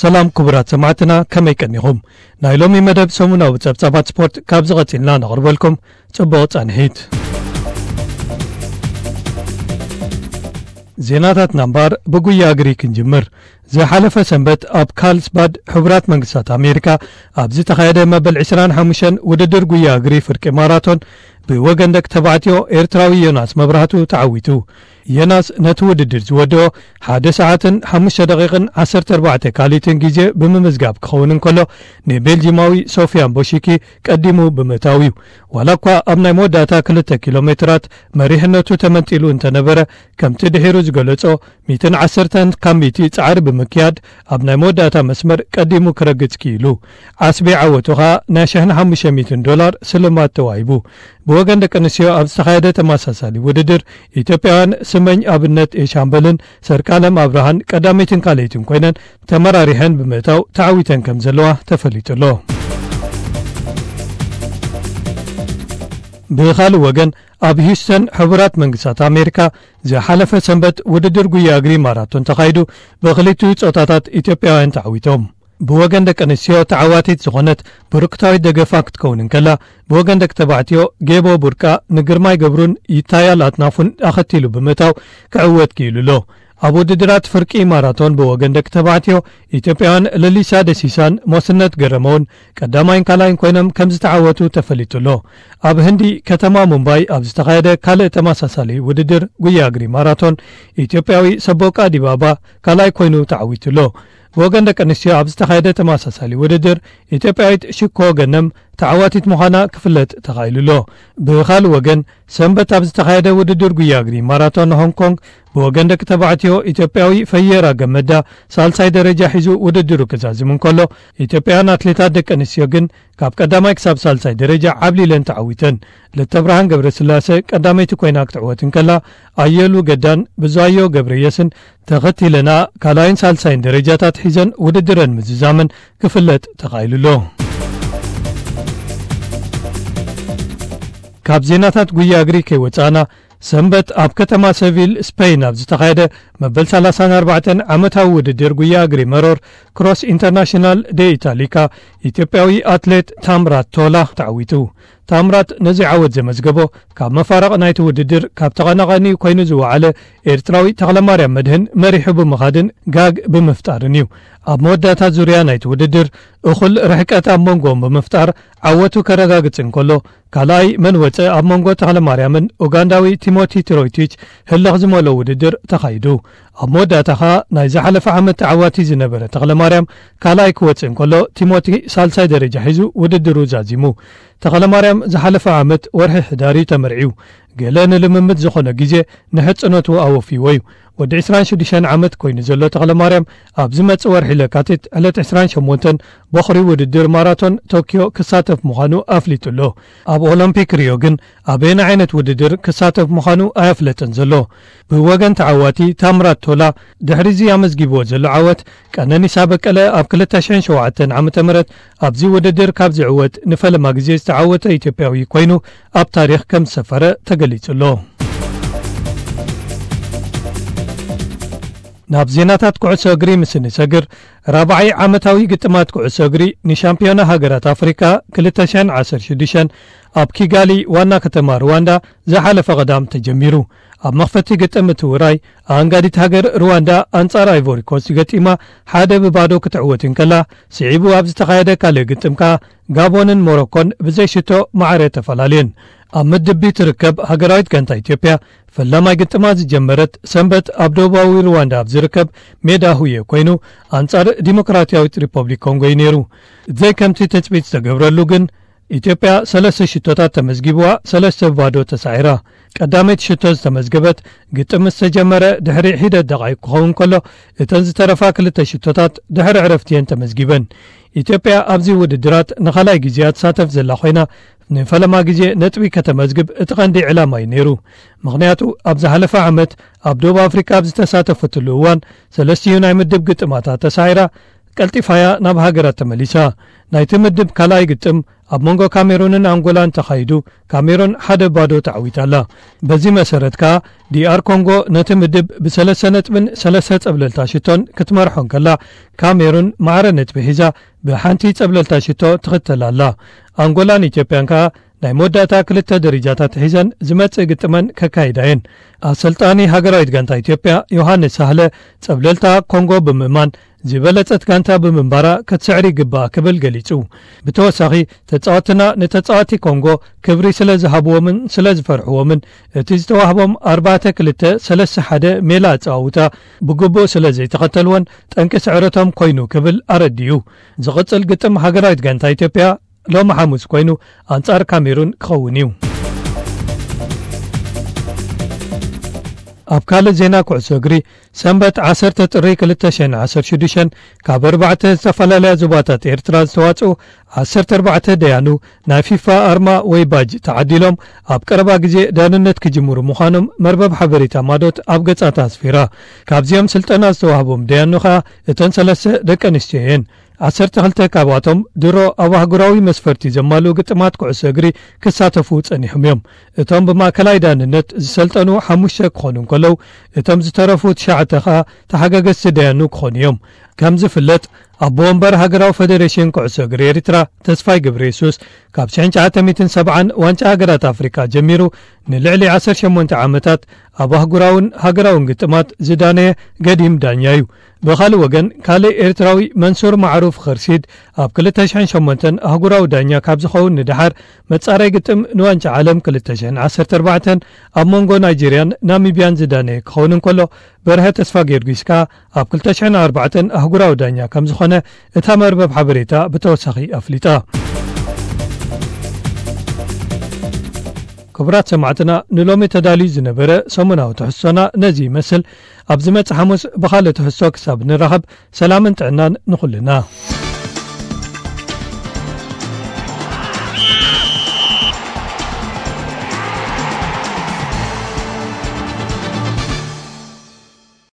ሰላም ክቡራት ሰማዕትና፣ ከመይ ቀኒኹም? ናይ ሎሚ መደብ ሰሙናዊ ጸብጻባት ስፖርት ካብ ዝቐጺልና ነቕርበልኩም። ጽቡቕ ጻንሒት። ዜናታትና እምበኣር ብጉያ እግሪ ክንጅምር። ዝሓለፈ ሰንበት ኣብ ካርልስባድ ሕቡራት መንግስታት ኣሜሪካ ኣብ ዝተኻየደ መበል ዕስራን ሓሙሽተን ውድድር ጉያ እግሪ ፍርቂ ማራቶን ብወገን ደቂ ተባዕትዮ ኤርትራዊ ዮናስ መብራህቱ ተዓዊቱ። ዮናስ ነቲ ውድድር ዝወደኦ ሓደ ሰዓትን ሓሙሽተ ደቂቕን ዓሰርተ ኣርባዕተ ካልኢትን ግዜ ብምምዝጋብ ክኸውን እንከሎ፣ ንቤልጂማዊ ሶፊያን ቦሺኪ ቀዲሙ ብምእታው እዩ። ዋላ እኳ ኣብ ናይ መወዳእታ ክልተ ኪሎ ሜትራት መሪሕነቱ ተመንጢሉ እንተነበረ፣ ከምቲ ድሒሩ ዝገለጾ፣ ሚእትን ዓሰርተን ካብ ሚእቲ ጻዕሪ ብምክያድ ኣብ ናይ መወዳእታ መስመር ቀዲሙ ክረግጽ ክኢሉ። ዓስቢ ዓወቱ ኸኣ ናይ ሽሕን ሓሙሽተ ሚእትን ዶላር ስልማት ተዋሂቡ። ብወገን ደቂ ኣንስትዮ ኣብ ዝተኻየደ ተመሳሳሊ ውድድር፣ ኢትዮጵያውያን ስመኝ ኣብነት ኤሻምበልን ሰርካለም ኣብርሃን ቀዳመይትን ካልኣይትን ኮይነን ተመራሪሐን ብምእታው ተዓዊተን ከም ዘለዋ ተፈሊጡ ኣሎ። ብኻልእ ወገን፣ ኣብ ሂውስተን ሕቡራት መንግስታት ኣሜሪካ ዝሓለፈ ሰንበት ውድድር ጉያ እግሪ ማራቶን ተኻይዱ፣ ብኽልቲኡ ጾታታት ኢትዮጵያውያን ተዓዊቶም። ብወገን ደቂ ኣንስትዮ ተዓዋቲት ዝኾነት ብሩክታዊት ደገፋ ክትከውን እንከላ፣ ብወገን ደቂ ተባዕትዮ ጌቦ ቡርቃ ንግርማይ ገብሩን ይታያል ኣጥናፉን ኣኸቲሉ ብምእታው ክዕወት ክኢሉ ኣሎ። ኣብ ውድድራት ፍርቂ ማራቶን ብወገን ደቂ ተባዕትዮ፣ ኢትዮጵያውያን ለሊሳ ደሲሳን ሞስነት ገረመውን ቀዳማይን ካልኣይን ኮይኖም ከም ዝተዓወቱ ተፈሊጡ ኣሎ። ኣብ ህንዲ ከተማ ሙምባይ ኣብ ዝተኻየደ ካልእ ተመሳሳሊ ውድድር ጉያ እግሪ ማራቶን፣ ኢትዮጵያዊ ሰቦቃ ዲባባ ካልኣይ ኮይኑ ተዓዊቱ ኣሎ። ብወገን ደቂ ኣንስትዮ ኣብ ዝተኻየደ ተመሳሳሊ ውድድር፣ ኢትዮጵያዊት ሽኮ ገነም ተዓዋቲት ምዃና ክፍለጥ ተኻኢሉ ኣሎ። ብኻልእ ወገን፣ ሰንበት ኣብ ዝተኻየደ ውድድር ጉያ እግሪ ማራቶን ሆንግ ኮንግ፣ ብወገን ደቂ ተባዕትዮ፣ ኢትዮጵያዊ ፈየራ ገመዳ ሳልሳይ ደረጃ ሒዙ ውድድሩ ክዛዝም እንከሎ፣ ኢትዮጵያውያን ኣትሌታት ደቂ ኣንስትዮ ግን ካብ ቀዳማይ ክሳብ ሳልሳይ ደረጃ ዓብሊለን ተዓዊተን። ልተብርሃን ገብረስላሴ ቀዳመይቲ ኮይና ክትዕወት እንከላ፣ ኣየሉ ገዳን ብዙኣዮ ገብረየስን ተኸቲለና ካልኣይን ሳልሳይን ደረጃታት ሒዘን ውድድረን ምዝዛመን ክፍለጥ ተኻኢሉ ኣሎ። ካብ ዜናታት ጉያ እግሪ ከይወጻእና፣ ሰንበት ኣብ ከተማ ሰቪል ስፔን ኣብ ዝተኻየደ መበል ሰላሳን ኣርባዕተን ዓመታዊ ውድድር ጉያ እግሪ መሮር ክሮስ ኢንተርናሽናል ደ ኢታሊካ፣ ኢትዮጵያዊ ኣትሌት ታምራት ቶላ ተዓዊቱ። ታምራት ነዚ ዓወት ዘመዝገቦ፣ ካብ መፋረቕ ናይቲ ውድድር ካብ ተቐናቓኒኡ ኮይኑ ዝወዓለ ኤርትራዊ ተኽለማርያም መድህን መሪሑ ብምኻድን ጋግ ብምፍጣርን እዩ። ኣብ መወዳእታ ዙርያ ናይቲ ውድድር እኹል ርሕቀት ኣብ መንጎኦም ብምፍጣር ዓወቱ ከረጋግጽ እንከሎ፣ ካልኣይ መን ወጸ ኣብ መንጎ ተኽለማርያምን ኡጋንዳዊ ቲሞቲ ትሮይቲች ህልኽ ዝመልኦ ውድድር ተኻይዱ። ኣብ መወዳእታ ኸኣ ናይ ዝሓለፈ ዓመት ተዓዋቲ ዝነበረ ተኽለማርያም ካልኣይ ክወጽእ እንከሎ፣ ቲሞቲ ሳልሳይ ደረጃ ሒዙ ውድድሩ ዛዚሙ። ተኽለማርያም ዝሓለፈ ዓመት ወርሒ ሕዳር እዩ ተመርዕዩ። ገለ ንልምምድ ዝኾነ ግዜ ንሕጽኖቱ ኣወፍይዎ እዩ። ወዲ ዕስራን ሽዱሽተን ዓመት ኮይኑ ዘሎ ተኽለማርያም፣ ኣብ ዝመጽእ ወርሒ ለካቲት ዕለት ዕስራን ሸሞንተን በኹሪ ውድድር ማራቶን ቶክዮ ክሳተፍ ምዃኑ ኣፍሊጡ ኣሎ። ኣብ ኦሎምፒክ ሪዮ ግን ኣበየናይ ዓይነት ውድድር ክሳተፍ ምዃኑ ኣየፍለጠን ዘሎ። ብወገን ተዓዋቲ ታምራት ቶላ፣ ድሕሪ እዚ ኣመዝጊብዎ ዘሎ ዓወት፣ ቀነኒሳ በቀለ ኣብ ክልተ ሽሕን ሸውዓተን ዓመተ ምህረት ኣብዚ ውድድር ካብ ዝዕወት ንፈለማ ግዜ ዝተዓወተ ኢትዮጵያዊ ኮይኑ ኣብ ታሪኽ ከም ዝሰፈረ ተገሊጹ ኣሎ። ናብ ዜናታት ኩዕሶ እግሪ ምስ እንሰግር፣ ራብዓይ ዓመታዊ ግጥማት ኩዕሶ እግሪ ንሻምፒዮና ሃገራት ኣፍሪካ ክልተ ሽሕን ዓሰርተ ሽዱሽተን ኣብ ኪጋሊ ዋና ከተማ ሩዋንዳ ዝሓለፈ ቀዳም ተጀሚሩ። ኣብ መኽፈቲ ግጥም እቲ ውራይ፣ ኣኣንጋዲት ሃገር ሩዋንዳ ኣንጻር ኣይቮሪ ኮስት ገጢማ ሓደ ብባዶ ክትዕወት እንከላ፣ ስዒቡ ኣብ ዝተኻየደ ካልእ ግጥም ከኣ ጋቦንን ሞሮኮን ብዘይ ሽቶ ማዕረ ተፈላለየን። ኣብ ምድብ ቢ ትርከብ ሃገራዊት ጋንታ ኢትዮጵያ፣ ፈላማይ ግጥማ ዝጀመረት ሰንበት ኣብ ደቡባዊ ሩዋንዳ ኣብ ዝርከብ ሜዳ ሁየ ኮይኑ፣ ኣንጻር ዲሞክራሲያዊት ሪፐብሊክ ኮንጎ እዩ ነይሩ። ብዘይ ከምቲ ትጽቢት ዝተገብረሉ ግን፣ ኢትዮጵያ ሰለስተ ሽቶታት ተመዝጊብዋ፣ ሰለስተ ብባዶ ተሳዒራ። ቀዳመይቲ ሽቶ ዝተመዝገበት ግጥም ምስ ተጀመረ ድሕሪ ሒደት ደቓይቕ ክኸውን ከሎ፣ እተን ዝተረፋ ክልተ ሽቶታት ድሕሪ ዕረፍቲ እየን ተመዝጊበን። ኢትዮጵያ ኣብዚ ውድድራት ንኻልኣይ ግዜኣ ትሳተፍ ዘላ ኮይና፣ ንፈለማ ግዜ ነጥቢ ከተመዝግብ እቲ ቀንዲ ዕላማ እዩ ነይሩ። ምኽንያቱ፣ ኣብ ዝሓለፈ ዓመት ኣብ ደቡብ ኣፍሪካ ኣብ ዝተሳተፈትሉ እዋን፣ ሰለስቲኡ ናይ ምድብ ግጥማታ ተሳዒራ፣ ቀልጢፋያ ናብ ሃገራት ተመሊሳ። ናይቲ ምድብ ካልኣይ ግጥም ኣብ መንጎ ካሜሩንን ኣንጎላን ተኻይዱ፣ ካሜሩን ሓደ ባዶ ተዓዊታ ኣላ። በዚ መሰረት ከኣ፣ ዲኣር ኮንጎ ነቲ ምድብ ብሰለስተ ነጥብን ሰለስተ ጸብለልታ ሽቶን ክትመርሖ እንከላ፣ ካሜሩን ማዕረ ነጥቢ ሒዛ ብሓንቲ ጸብለልታ ሽቶ ትኽተል ኣላ። ኣንጎላን ኢትዮጵያን ከኣ ናይ መወዳእታ ክልተ ደረጃታት ሒዘን ዝመጽእ ግጥመን ከካይዳ እየን። ኣሰልጣኒ ሃገራዊት ጋንታ ኢትዮጵያ ዮሃንስ ሳህለ፣ ጸብለልታ ኮንጎ ብምእማን፣ ዝበለጸት ጋንታ ብምንባራ ክትስዕር ይግባእ ክብል ገሊጹ። ብተወሳኺ፣ ተጻወትና ንተጻወቲ ኮንጎ ክብሪ ስለ ዝሃብዎምን ስለ ዝፈርሕዎምን፣ እቲ ዝተዋህቦም ኣርባዕተ ክልተ ሰለስተ ሓደ ሜላ ኣጸዋውታ ብግቡእ ስለ ዘይተኸተልዎን ጠንቂ ስዕረቶም ኮይኑ ክብል ኣረዲኡ። ዝቕጽል ግጥም ሃገራዊት ጋንታ ኢትዮጵያ ሎሚ ሓሙስ ኮይኑ ኣንጻር ካሜሩን ክኸውን እዩ። ኣብ ካልእ ዜና ኩዕሶ እግሪ፣ ሰንበት ዓሰርተ ጥሪ ክልተ ሽሕን ዓሰርተ ሽዱሽተን ካብ ኣርባዕተ ዝተፈላለያ ዞባታት ኤርትራ ዝተዋጽኡ ዓሰርተ ኣርባዕተ ደያኑ ናይ ፊፋ ኣርማ ወይ ባጅ ተዓዲሎም ኣብ ቀረባ ግዜ ዳንነት ክጅምሩ ምዃኖም መርበብ ሓበሬታ ማዶት ኣብ ገጻታ ኣስፊራ። ካብዚኦም ስልጠና ዝተዋህቦም ደያኑ ኸኣ እተን ሰለስተ ደቂ ኣንስትዮ እየን። ዓሰርተ ክልተ ካብኣቶም ድሮ ኣብ ኣህጉራዊ መስፈርቲ ዘማልኡ ግጥማት ኩዕሶ እግሪ ክሳተፉ ጸኒሖም እዮም። እቶም ብማእከላይ ዳንነት ዝሰልጠኑ ሓሙሽተ ክኾኑ እንከለዉ፣ እቶም ዝተረፉ ትሽዓተ ኸኣ ተሓጋገዝቲ ደያኑ ክኾኑ እዮም። ከም ዝፍለጥ፣ ኣቦ ወንበር ሃገራዊ ፈደሬሽን ኩዕሶ እግሪ ኤርትራ ተስፋይ ገብረየሱስ፣ ካብ ሽሕን ትሽዓተ ሚእትን ሰብዓን ዋንጫ ሃገራት ኣፍሪቃ ጀሚሩ ንልዕሊ ዓሰርተ ሸሞንተ ዓመታት ኣብ ኣህጉራውን ሃገራውን ግጥማት ዝዳነየ ገዲም ዳኛ እዩ። ብኻልእ ወገን፣ ካልእ ኤርትራዊ መንሱር ማዕሩፍ ኸርሲድ ኣብ ክልተ ሽሕን ሸሞንተን ኣህጉራዊ ዳኛ ካብ ዝኸውን ንደሓር፣ መጻረይ ግጥም ንዋንጫ ዓለም ክልተ ሽሕን ዓሰርተ ኣርባዕተን ኣብ መንጎ ናይጄርያን ናሚብያን ዝዳነየ ክኸውን እንከሎ፣ በርሀ ተስፋ ጊዮርጊስ ከኣ ኣብ ክልተ ሽሕን ኣርባዕተን ኣህጉራዊ ዳኛ ከም ዝኾነ እታ መርበብ ሓበሬታ ብተወሳኺ ኣፍሊጣ። ክቡራት ሰማዕትና፣ ንሎሚ ተዳልዩ ዝነበረ ሰሙናዊ ትሕዝቶና ነዚ ይመስል። ኣብ ዝመጽእ ሓሙስ ብኻልእ ትሕዝቶ ክሳብ ንራኸብ፣ ሰላምን ጥዕናን ንኹልና።